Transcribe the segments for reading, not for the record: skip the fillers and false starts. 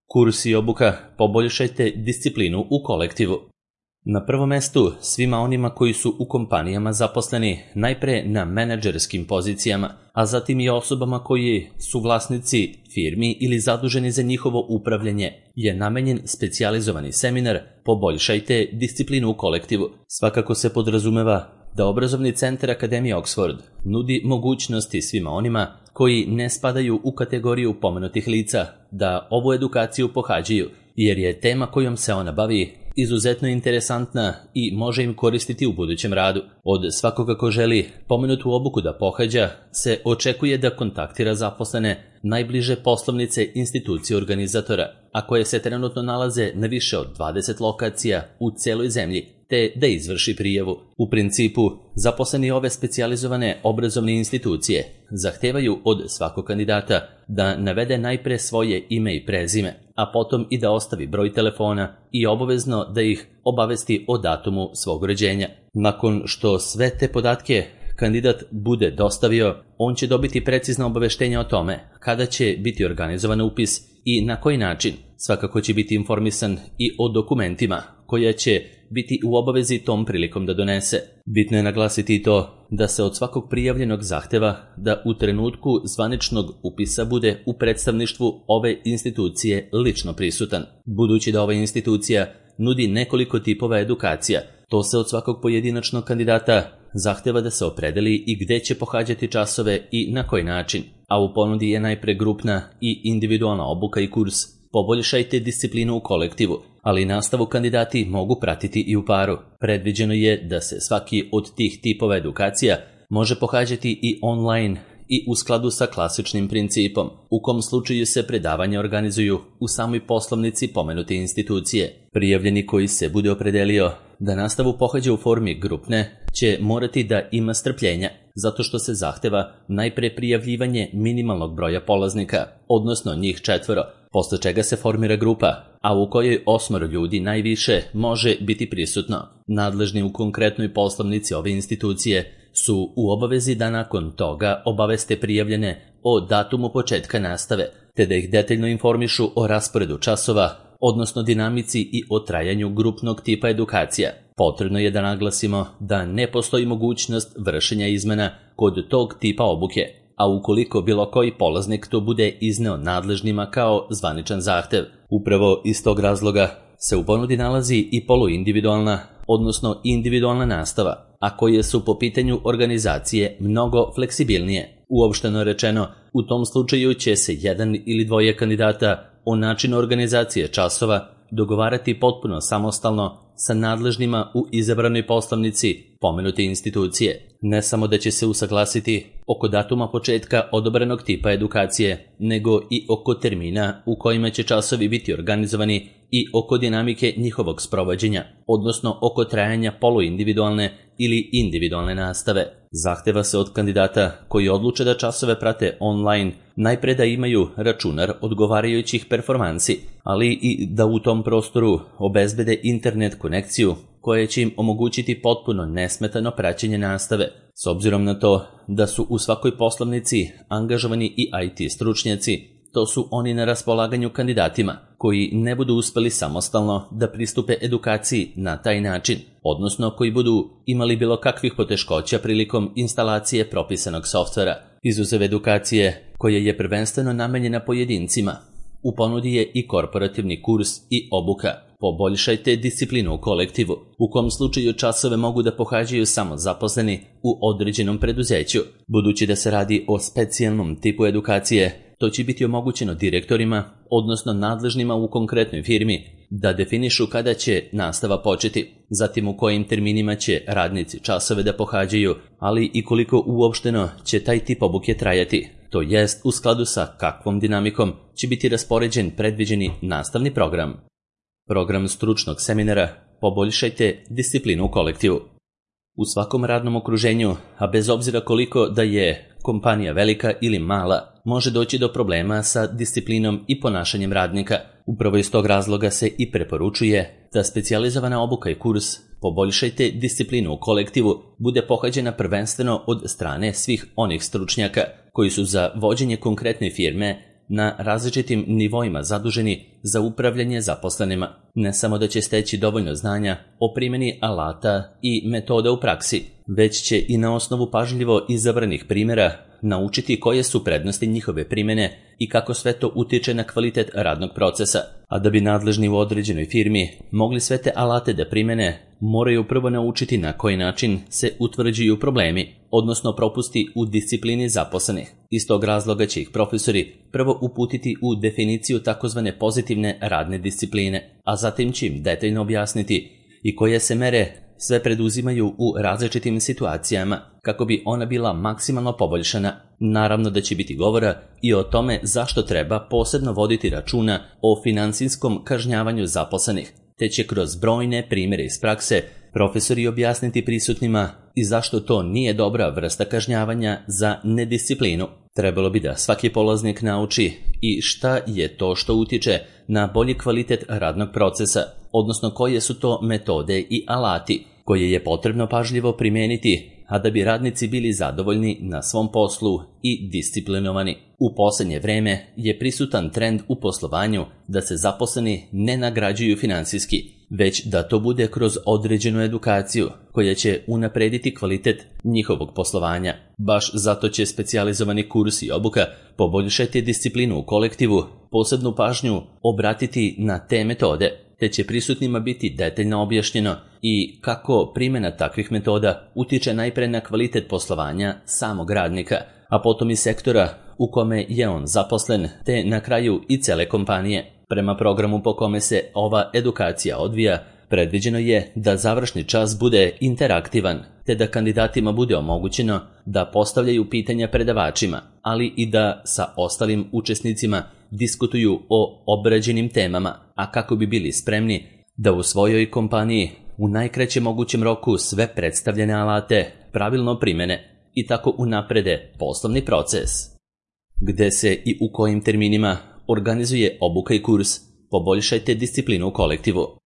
Kurs i obuka poboljšajte disciplinu u kolektivu. Na prvom mestu svima onima koji su u kompanijama zaposleni, najpre na menadžerskim pozicijama, a zatim i osobama koji su vlasnici firmi ili zaduženi za njihovo upravljanje, je namenjen specijalizovani seminar Poboljšajte disciplinu u kolektivu. Svakako se podrazumeva da obrazovni centar Akademije Oxford nudi mogućnosti svima onima koji ne spadaju u kategoriju pomenutih lica da ovu edukaciju pohađaju, jer je tema kojom se ona bavi izuzetno interesantna i može im koristiti u budućem radu. Od svakoga ko želi pomenutu obuku da pohađa se očekuje da kontaktira zaposlene najbliže poslovnice institucije organizatora, a koje se trenutno nalaze na više od 20 lokacija u celoj zemlji, te da izvrši prijavu. U principu, zaposleni ove specijalizovane obrazovne institucije zahtevaju od svakog kandidata da navede najpre svoje ime i prezime, a potom i da ostavi broj telefona i obavezno da ih obavesti o datumu svog rođenja. Nakon što sve te podatke kandidat bude dostavio, on će dobiti precizno obaveštenje o tome kada će biti organizovan upis i na koji način. Svakako će biti informisan i o dokumentima koja će biti u obavezi tom prilikom da donese. Bitno je naglasiti i to da se od svakog prijavljenog zahteva da u trenutku zvaničnog upisa bude u predstavništvu ove institucije lično prisutan. Budući da ova institucija nudi nekoliko tipova edukacija, to se od svakog pojedinačnog kandidata zahteva da se opredeli i gde će pohađati časove i na koji način, a u ponudi je najpre grupna i individualna obuka i kurs Poboljšajte disciplinu u kolektivu, ali nastavu kandidati mogu pratiti i u paru. Predviđeno je da se svaki od tih tipova edukacija može pohađati i online i u skladu sa klasičnim principom, u kom slučaju se predavanja organizuju u samoj poslovnici pomenute institucije. Prijavljeni koji se bude opredelio da nastavu pohađa u formi grupne će morati da ima strpljenja, zato što se zahteva najpre prijavljivanje minimalnog broja polaznika, odnosno njih 4, posle čega se formira grupa, a u kojoj 8 ljudi najviše može biti prisutno. Nadležni u konkretnoj poslovnici ove institucije su u obavezi da nakon toga obaveste prijavljene o datumu početka nastave, te da ih detaljno informišu o rasporedu časova, odnosno dinamici i o trajanju grupnog tipa edukacija. Potrebno je da naglasimo da ne postoji mogućnost vršenja izmena kod tog tipa obuke, a ukoliko bilo koji polaznik to bude izneo nadležnima kao zvaničan zahtev. Upravo iz tog razloga se u ponudi nalazi i poluindividualna, odnosno individualna nastava, a koje su po pitanju organizacije mnogo fleksibilnije. Uopšteno rečeno, u tom slučaju će se jedan ili dvoje kandidata o načinu organizacije časova dogovarati potpuno samostalno sa nadležnima u izabranoj poslovnici pomenute institucije. Ne samo da će se usaglasiti oko datuma početka odobrenog tipa edukacije, nego i oko termina u kojima će časovi biti organizovani i oko dinamike njihovog sprovođenja, odnosno oko trajanja poluindividualne ili individualne nastave. Zahteva se od kandidata koji odluče da časove prate online najpre da imaju računar odgovarajućih performansi, ali i da u tom prostoru obezbede internet konekciju koja će im omogućiti potpuno nesmetano praćenje nastave. S obzirom na to da su u svakoj poslovnici angažovani i IT stručnjaci, to su oni na raspolaganju kandidatima koji ne budu uspeli samostalno da pristupe edukaciji na taj način, odnosno koji budu imali bilo kakvih poteškoća prilikom instalacije propisanog softvera. Izuzev edukacije koja je prvenstveno namenjena pojedincima, u ponudi je i korporativni kurs i obuka Poboljšajte disciplinu u kolektivu, u kom slučaju časove mogu da pohađaju samo zaposleni u određenom preduzeću. Budući da se radi o specijalnom tipu edukacije, to će biti omogućeno direktorima, odnosno nadležnima u konkretnoj firmi, da definišu kada će nastava početi, zatim u kojim terminima će radnici časove da pohađaju, ali i koliko uopšteno će taj tip obuke trajati, to jest u skladu sa kakvom dinamikom će biti raspoređen predviđeni nastavni program. Program stručnog seminara Poboljšajte disciplinu u kolektivu. U svakom radnom okruženju, a bez obzira koliko da je kompanija velika ili mala, može doći do problema sa disciplinom i ponašanjem radnika. Upravo iz tog razloga se i preporučuje da specijalizovana obuka i kurs Poboljšajte disciplinu u kolektivu bude pohađena prvenstveno od strane svih onih stručnjaka koji su za vođenje konkretne firme na različitim nivoima zaduženi za upravljanje zaposlenima. Ne samo da će steći dovoljno znanja o primjeni alata i metoda u praksi, već će i na osnovu pažljivo izabranih primjera naučiti koje su prednosti njihove primjene i kako sve to utiče na kvalitet radnog procesa. A da bi nadležni u određenoj firmi mogli sve te alate da primjene, moraju prvo naučiti na koji način se utvrđuju problemi, odnosno propusti u disciplini zaposlenih. Iz tog razloga će ih profesori prvo uputiti u definiciju takozvane pozitivne radne discipline, a zatim će im detaljno objasniti i koje se mere sve preduzimaju u različitim situacijama kako bi ona bila maksimalno poboljšana. Naravno da će biti govora i o tome zašto treba posebno voditi računa o finansijskom kažnjavanju zaposlenih, te će kroz brojne primjere iz prakse profesori objasniti prisutnima i zašto to nije dobra vrsta kažnjavanja za nedisciplinu. Trebalo bi da svaki polaznik nauči i šta je to što utiče na bolji kvalitet radnog procesa, odnosno koje su to metode i alati koje je potrebno pažljivo primijeniti, a da bi radnici bili zadovoljni na svom poslu i disciplinovani. U posljednje vreme je prisutan trend u poslovanju da se zaposleni ne nagrađuju finansijski, već da to bude kroz određenu edukaciju koja će unaprediti kvalitet njihovog poslovanja. Baš zato će specijalizovani kurs i obuka poboljšati disciplinu u kolektivu, posebnu pažnju obratiti na te metode, te će prisutnima biti detaljno objašnjeno i kako primjena takvih metoda utiče najpre na kvalitet poslovanja samog radnika, a potom i sektora u kome je on zaposlen, te na kraju i cele kompanije. Prema programu po kome se ova edukacija odvija, predviđeno je da završni čas bude interaktivan, te da kandidatima bude omogućeno da postavljaju pitanja predavačima, ali i da sa ostalim učesnicima diskutuju o obrađenim temama, a kako bi bili spremni da u svojoj kompaniji u najkraćem mogućem roku sve predstavljene alate pravilno primene i tako unaprede poslovni proces. Gde se i u kojim terminima organizuje obuka i kurs Poboljšajte disciplinu u kolektivu.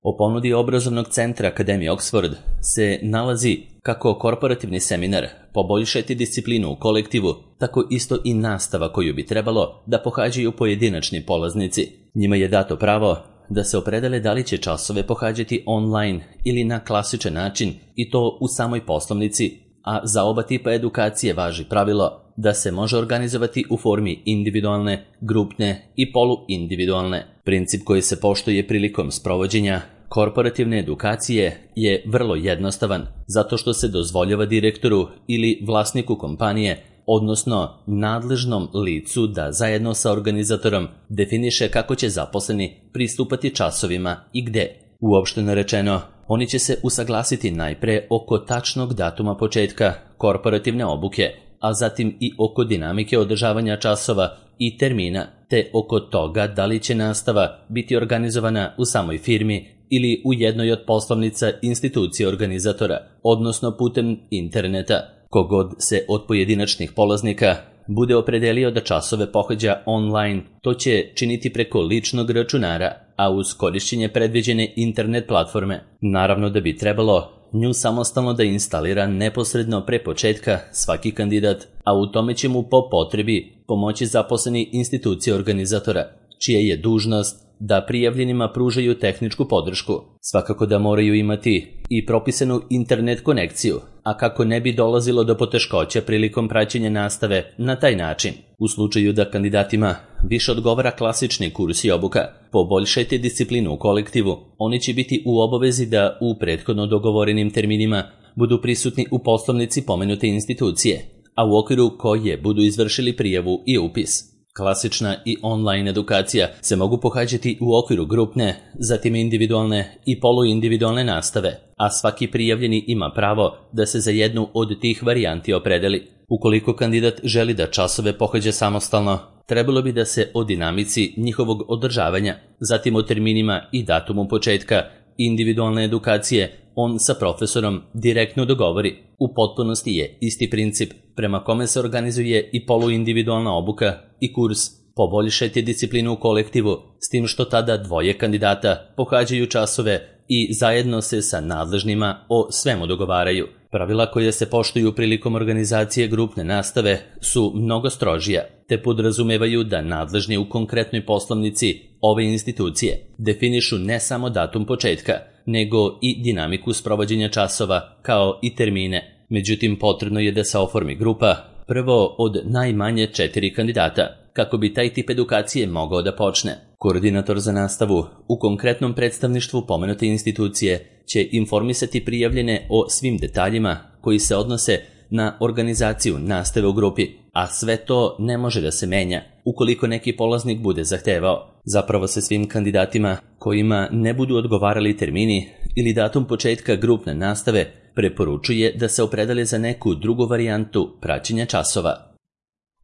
O ponudi obrazovnog centra Akademije Oxford se nalazi kako korporativni seminar Poboljšajte disciplinu u kolektivu, tako isto i nastava koju bi trebalo da pohađaju pojedinačni polaznici. Njima je dato pravo da se opredele da li će časove pohađati online ili na klasičan način, i to u samoj poslovnici, a za oba tipa edukacije važi pravilo da se može organizovati u formi individualne, grupne i poluindividualne. Princip koji se poštuje prilikom sprovođenja korporativne edukacije je vrlo jednostavan, zato što se dozvoljava direktoru ili vlasniku kompanije, odnosno nadležnom licu, da zajedno sa organizatorom definiše kako će zaposleni pristupati časovima i gde. Uopšteno rečeno, oni će se usaglasiti najpre oko tačnog datuma početka korporativne obuke, a zatim i oko dinamike održavanja časova i termina, te oko toga da li će nastava biti organizovana u samoj firmi ili u jednoj od poslovnica institucije organizatora, odnosno putem interneta. Kogod se od pojedinačnih polaznika bude opredelio da časove pohađa online, to će činiti preko ličnog računara, a uz korišćenje predviđene internet platforme. Naravno da bi trebalo nju samostalno da instalira neposredno pre početka svaki kandidat, a u tome će mu po potrebi pomoći zaposleni institucije organizatora, čija je dužnost da prijavljenima pružaju tehničku podršku. Svakako da moraju imati i propisanu internet konekciju, a kako ne bi dolazilo do poteškoća prilikom praćenja nastave na taj način. U slučaju da kandidatima više odgovara klasični kurs i obuka Poboljšajte disciplinu u kolektivu, oni će biti u obavezi da u prethodno dogovorenim terminima budu prisutni u poslovnici pomenute institucije, a u okviru koje budu izvršili prijavu i upis. Klasična i online edukacija se mogu pohađati u okviru grupne, zatim individualne i poluindividualne nastave, a svaki prijavljeni ima pravo da se za jednu od tih varijanti opredeli. Ukoliko kandidat želi da časove pohađa samostalno, trebalo bi da se o dinamici njihovog održavanja, zatim o terminima i datumu početka individualne edukacije on sa profesorom direktno dogovori. U potpunosti je isti princip prema kome se organizuje i poluindividualna obuka i kurs Poboljšajte disciplinu u kolektivu, s tim što tada dvoje kandidata pohađaju časove i zajedno se sa nadležnima o svemu dogovaraju. Pravila koje se poštuju prilikom organizacije grupne nastave su mnogo strožija, te podrazumevaju da nadležni u konkretnoj poslovnici ove institucije definišu ne samo datum početka, nego i dinamiku sprovođenja časova kao i termine. Međutim, potrebno je da se oformi grupa, prvo od najmanje 4 kandidata, kako bi taj tip edukacije mogao da počne. Koordinator za nastavu u konkretnom predstavništvu pomenute institucije će informisati prijavljene o svim detaljima koji se odnose na organizaciju nastave u grupi, a sve to ne može da se menja ukoliko neki polaznik bude zahtevao. Zapravo se svim kandidatima kojima ne budu odgovarali termini ili datum početka grupne nastave preporučuje da se opredele za neku drugu varijantu praćenja časova.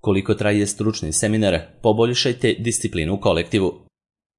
Koliko traje stručni seminar, poboljšajte disciplinu u kolektivu.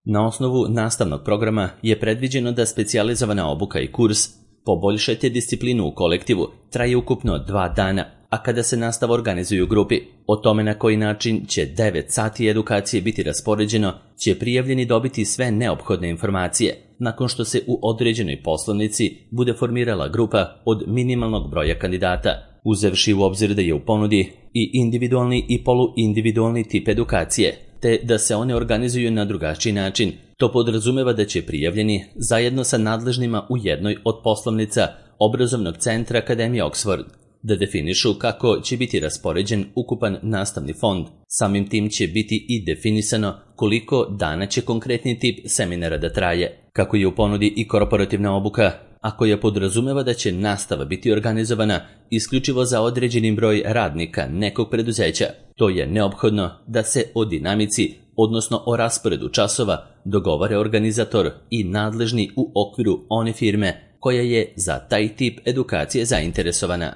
Na osnovu nastavnog programa je predviđeno da specijalizovana obuka i kurs Poboljšajte disciplinu u kolektivu traje ukupno 2 dana, a kada se nastava organizuje u grupi, o tome na koji način će 9 sati edukacije biti raspoređeno, će prijavljeni dobiti sve neophodne informacije, nakon što se u određenoj poslovnici bude formirala grupa od minimalnog broja kandidata, uzevši u obzir da je u ponudi i individualni i poluindividualni tip edukacije, te da se one organizuju na drugačiji način. To podrazumeva da će prijavljeni zajedno sa nadležnima u jednoj od poslovnica obrazovnog centra Akademije Oxford da definišu kako će biti raspoređen ukupan nastavni fond. Samim tim će biti i definisano koliko dana će konkretni tip seminara da traje. Kako je u ponudi i korporativna obuka, a koja podrazumeva da će nastava biti organizovana isključivo za određeni broj radnika nekog preduzeća, to je neophodno da se o dinamici, odnosno o rasporedu časova, dogovore organizator i nadležni u okviru one firme koja je za taj tip edukacije zainteresovana.